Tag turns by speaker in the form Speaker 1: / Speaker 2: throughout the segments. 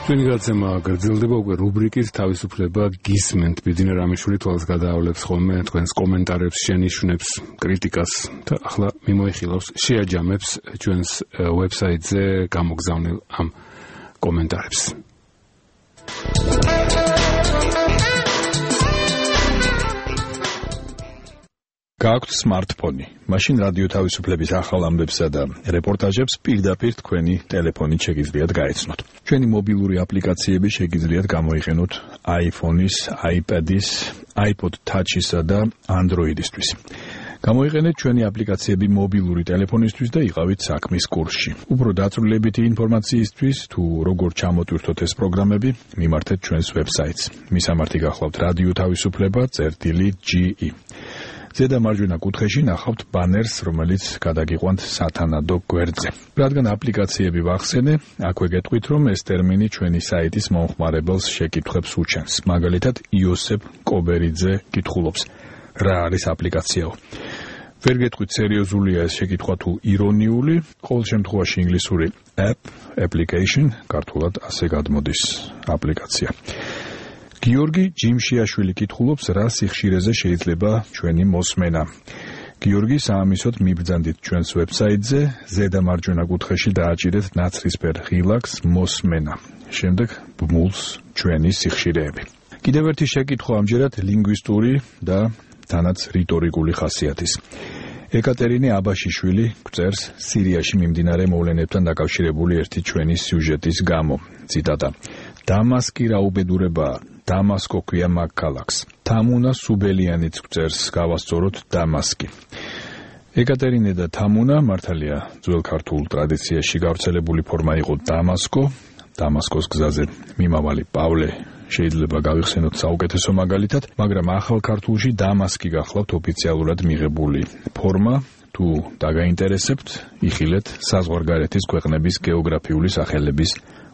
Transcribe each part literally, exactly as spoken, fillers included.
Speaker 1: ჩვენი გადაცემა გრძელდება უკვე რუბრიკის თავისუფლება გისმენთ. ბიძინა რამიშვილი თვალს გადაავლებს ხოლმე თქვენს კომენტარებს, შენიშვნებს, კრიტიკას და ახლა მიმოიხილავს, შეაჯამებს ჩვენს ვებსაიტზე გამოგზავნილ ამ კომენტარებს.
Speaker 2: გააქვთ smartphone, მაშინ რადიო თავისუფლების ახალ ამბებსა და რეპორტაჟებს პირდაპირ თქვენი ტელეფონით შეგიძლიათ გაეცნოთ. ჩვენი მობილური აპლიკაციები შეგიძლიათ გამოიყენოთ iPhone-ის, iPad-ის, iPod Touch-ისა და Android-ისთვის. გამოიყენეთ ჩვენი აპლიკაციები მობილური ტელეფონისთვის და იყავით საქმის კურსში. უფრო დაწვრილებითი ინფორმაციისთვის თუ როგორ ჩამოტვირთოთ ეს პროგრამები, მიმართეთ ჩვენს ვებსაიტს. მისამართი გახლავთ რადიო თავისუფლება წერტილი ჯი ი. ზედა მარჯვენა კუთხეში ნახავთ ბანერს, რომელიც გადაგიყვანთ სათანადო გვერდზე. რადგან აპლიკაციები ვახსენე, აქვე გეტყვით, რომ ეს ტერმინი ჩვენი საიტის მომხმარებელს შეკითხვებს უჩენს. მაგალითად, იოსებ კობერიძე კითხულობს, რა არის აპლიკაციაო? ვერ გეტყვით, სერიოზულია ეს შეკითხვა თუ ირონიული, ყოველ შემთხვევაში ინგლისური app, application, ქართულად ასე გადმოდის აპლიკაცია. გიორგი ჯიმშიაშვილი კითხულობს, რა სიხშირეზე შეიძლება ჩვენი მოსმენა. გიორგი, საამისოდ მიბრძანდით ჩვენს ვებსაიტზე, ზედა მარჯვენა კუთხეში დააჭირეთ ნაცრისფერ ღილაკს მოსმენა. შემდეგ ბმულს ჩვენი სიხშირეები. კიდევ ერთი შეკითხვა ამჯერად ლინგვისტური და თანაც რიტორიკული ხასიათის. ეკატერინე აბაშიშვილი გვწერს სირიაში მიმდინარე მოვლენებთან დაკავშირებული ერთი ჩვენი სიუჟეტის გამო. ციტატა: დამასკი რა უბედურებაა, დამასკო ქვია მაგ ქალაქს. თამუნა სუბელიანიც გვწერს გავასწოროთ დამასკი. ეკატერინე და თამუნა მართალია ძველ ქართულ ტრადიციაში გავრცელებული ფორმა იყო დამასკო. დამასკოს გზაზე მიმავალი პავლე შეიძლება გავიხსენოთ საუკეთესო მაგალითად, მაგრამ ახალ ქართულში დამასკი გახლავთ ოფიციალურად მიღებული ფორმა. თუ დაგაინტერესებთ, იხილეთ საზღვარგარეთის ქვეყნების გეოგრაფიული სახელების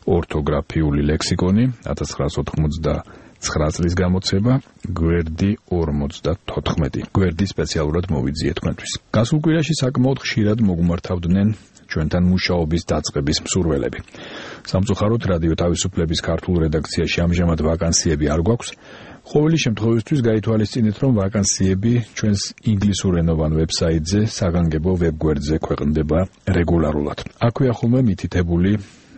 Speaker 2: ორთოგრაფიული ლექსიკონი ათას ცხრაას ოცდათხმეტ წლის გამოცება, გვერდი ორმოცდათოთხმეტი. გვერდი სპეციალურად მოვიძიე თქვენთვის. გასულ კვირაში საკმაოდ ხშირად მოგმართავდნენ ჩვენთან მუშაობის დაწყების მსურველები. სამწუხაროდ რადიო თავისუფლების ქართულ რედაქციაში ამჟამად ვაკანსიები არ გვაქვს. ყოველი შემთხვევისთვის გაითვალისწინეთ, რომ ვაკანსიები ჩვენს ინგლისურენოვან ვებსაიტზე საგანგებო ვებგვერდზე ქვეყნდება რეგულარულად. აქვეა ხოლმე მითითებული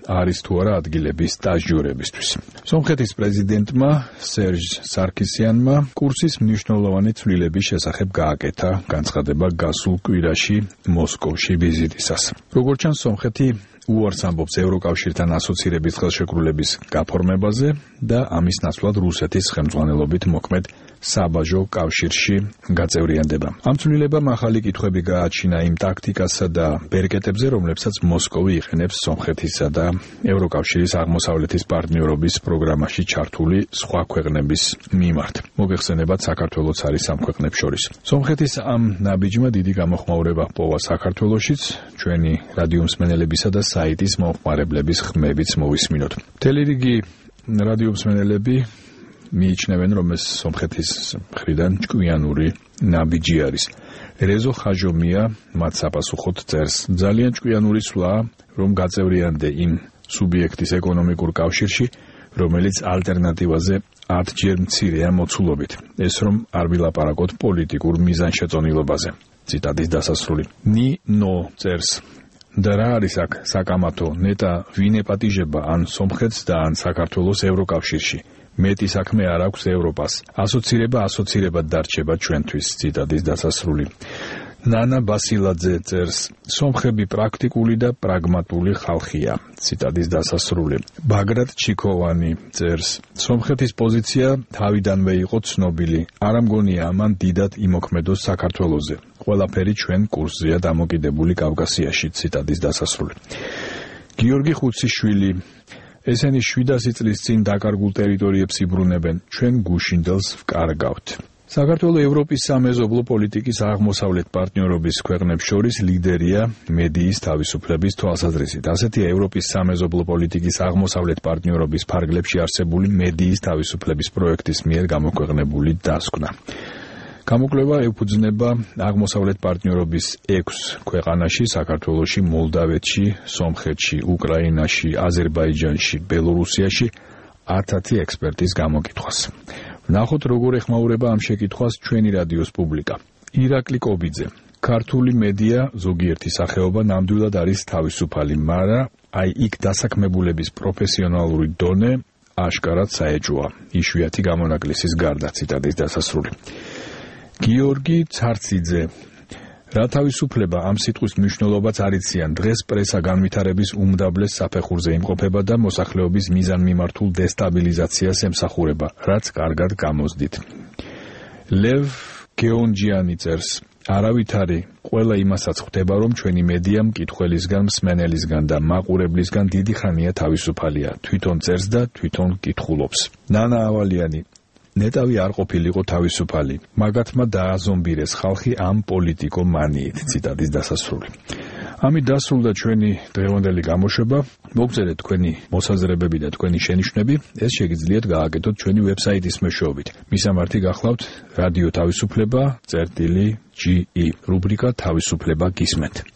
Speaker 2: არის თუ არა ადგილების სტაჟიორებისთვის. სომხეთის პრეზიდენტმა სერჟ სარქისიანმა კურსის მნიშვნელოვანი ცვლილების შესახებ გააკეთა განცხადება გასულ კვირაში მოსკოვში ვიზიტისას. როგორც ჩანს, სომხეთი უარს ამბობს ევროკავშირთან ასოცირების ხელშეკრულების გაფორმებაზე და ამის ნაცვლად რუსეთის ხელმძღვანელობით მოქმედ საბაჟო კავშირში გაწევრიანდება. ამ ცვლილებამ ახალი კითხვები გააჩინა იმ ტაქტიკასა და ბერკეტებზე, რომლებსაც მოსკოვი იყენებს სომხეთისა და ევროკავშირის აღმოსავლეთის პარტნიორობის პროგრამაში ჩართული სხვა ქვეყნების მიმართ. მოგეხსენებათ, საქართველოც არის ამ ქვეყნებს შორის. სომხეთის ამ ნაბიჯმა დიდი გამოხმაურება ჰპოვა საქართველოშიც, ჩვენი რადიო მსმენელებისა და საიტის მომხმარებლების ხმებიც მოვისმინოთ. მთელი რიგი რადიო მსმენელები მიიჩნევენ, რომ ეს სომხეთის მხრიდან ჭკვიანური ნაბიჯი არის. რეზო ხაჟომია მათ საპასუხოდ წერს, ძალიან ჭკვიანური სვლაა, რომ გაწევრიანდე იმ სუბიექტის ეკონომიკურ კავშირში, რომელიც ალტერნატივაზე ათჯერ მცირეა მოცულობით. ეს რომ არ ვილაპარაკოთ პოლიტიკურ მიზანშეწონილობაზე. ციტატის დასასრული. ნი ნო წერს, და რა არის აქ საკამათო, ნეტა ვინ ეპატიჟება ან სომხეთს და ან საქართველოს ევროკავშირში. მეტი საქმე არ აქვს ევროპას. ასოცირება ასოცირებად დარჩება ჩვენთვის. ციტატის დასასრული. ნანა ბასილაძე წერს, სომხები პრაქტიკული და პრაგმატული ხალხია. ციტატის დასასრული. ბაგრატ ჩიქოვანი წერს, სომხეთის პოზიცია თავიდანვე იყო ცნობილი. არ ამგონია ამან დიდად იმოქმედოს საქართველოზე. ყველაფერი ჩვენ კურსზეა დამოკიდებული კავკასიაში. ციტატის დასასრული. გიორგი ხუციშვილი. ესენი შვიდასი წლის წინ დაკარგულ ტერიტორიებს იბრუნებენ, ჩვენ გუშინდელს ვკარგავთ. საქართველოს ევროპის სამეზობლო პოლიტიკის აღმოსავლეთ პარტნიორობის ქვეყნებს შორის ლიდერია მედიის თავისუფლების თვალსაზრისით. ასეთია ევროპის სამეზობლო პოლიტიკის აღმოსავლეთ პარტნიორობის ფარგლებში არსებული მედიის თავისუფლების პროექტის მიერ გამოქვეყნებული დასკვნა. გამოკვლევა ეფუძნება აღმოსავლეთ პარტნიორობის ექვს ქვეყანაში, საქართველოში, მოლდავეთში, სომხეთში, უკრაინაში, აზერბაიჯანში, ბელორუსიაში ათათი ექსპერტის გამოკითხვას. ვნახოთ, როგორ ეხმაურება ამ შეკითხვას ჩვენი რადიოს პუბლიკა. ირაკლი კობიძე. ქართული მედია, ზოგიერთი სახეობა ნამდვილად არის თავისუფალი, მაგრამ აი იქ დასაქმებულების პროფესიონალური დონე აშკარად საეჭვოა. იშვიათი გამონაკლისის გარდა, ციტატის დასასრული. გიორგი ცარციძე. რა თავისუფლება ამ სიტყვის მნიშვნელობაც არიციან. დღეს პრესა განვითარების უმდაბლეს საფეხურზე იმყოფება და მოსახლეობის მიზანმიმართულ დესტაბილიზაციას ემსახურება, რაც კარგად გამოსდით. ლევ გეონჯიანი წერს. არავითარი ყველა იმასაც ხვდება, რომ ჩვენი მედია მკითხველისგან, მსმენელისგან და მაყურებლისგან დიდი ხანია თავისუფალია. თვითონ წერს და თვითონ კითხულობს. ნანა ავალიანი. ნეტავი არ ყოფილიყო თავისუფალი. მაგათმა დააზომბირეს ხალხი ამ პოლიტიკო მანიით. ციტატის დასასრული. ამით დასრულდა ჩვენი დღევანდელი გამოშვება. მოგწერეთ თქვენი მოსაზრებები და თქვენი შენიშვნები. ეს შეგიძლიათ გააკეთოთ ჩვენი ვებსაიტის მეშვეობით. მისამართი გახლავთ რადიო თავისუფლება წერტილი ჯი ი რუბრიკა თავისუფლება გისმენთ.